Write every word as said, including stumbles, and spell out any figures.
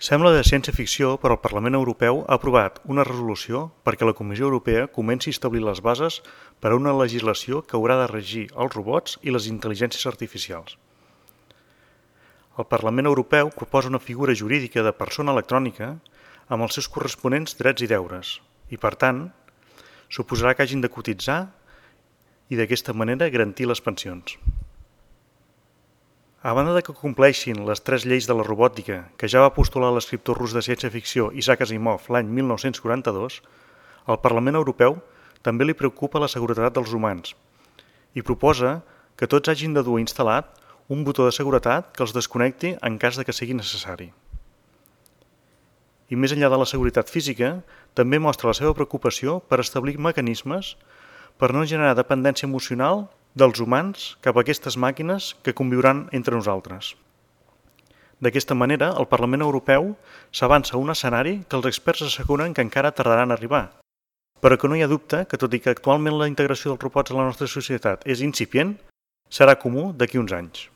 Sembla de ciència-ficció, però el Parlament Europeu ha aprovat una resolució perquè la Comissió Europea comenci a establir les bases per a una legislació que haurà de regir els robots i les intel·ligències artificials. El Parlament Europeu proposa una figura jurídica de persona electrònica amb els seus corresponents drets i deures i, per tant, suposarà que hagin de cotitzar i d'aquesta manera garantir les pensions. A banda de que compleixin les tres lleis de la robòtica que ja va postular l'escriptor rus de ciència-ficció Isaac Asimov l'any mil nou-cents quaranta-dos, al Parlament Europeu també li preocupa la seguretat dels humans i proposa que tots hagin de dur instal·lat un botó de seguretat que els desconnecti en cas de que sigui necessari. I més enllà de la seguretat física, també mostra la seva preocupació per establir mecanismes per no generar dependència emocional dels humans cap a aquestes màquines que conviuran entre nosaltres. D'aquesta manera, el Parlament Europeu s'avança a un escenari que els experts asseguren que encara tardaran a arribar, però que no hi ha dubte que, tot i que actualment la integració dels robots a la nostra societat és incipient, serà comú d'aquí uns anys.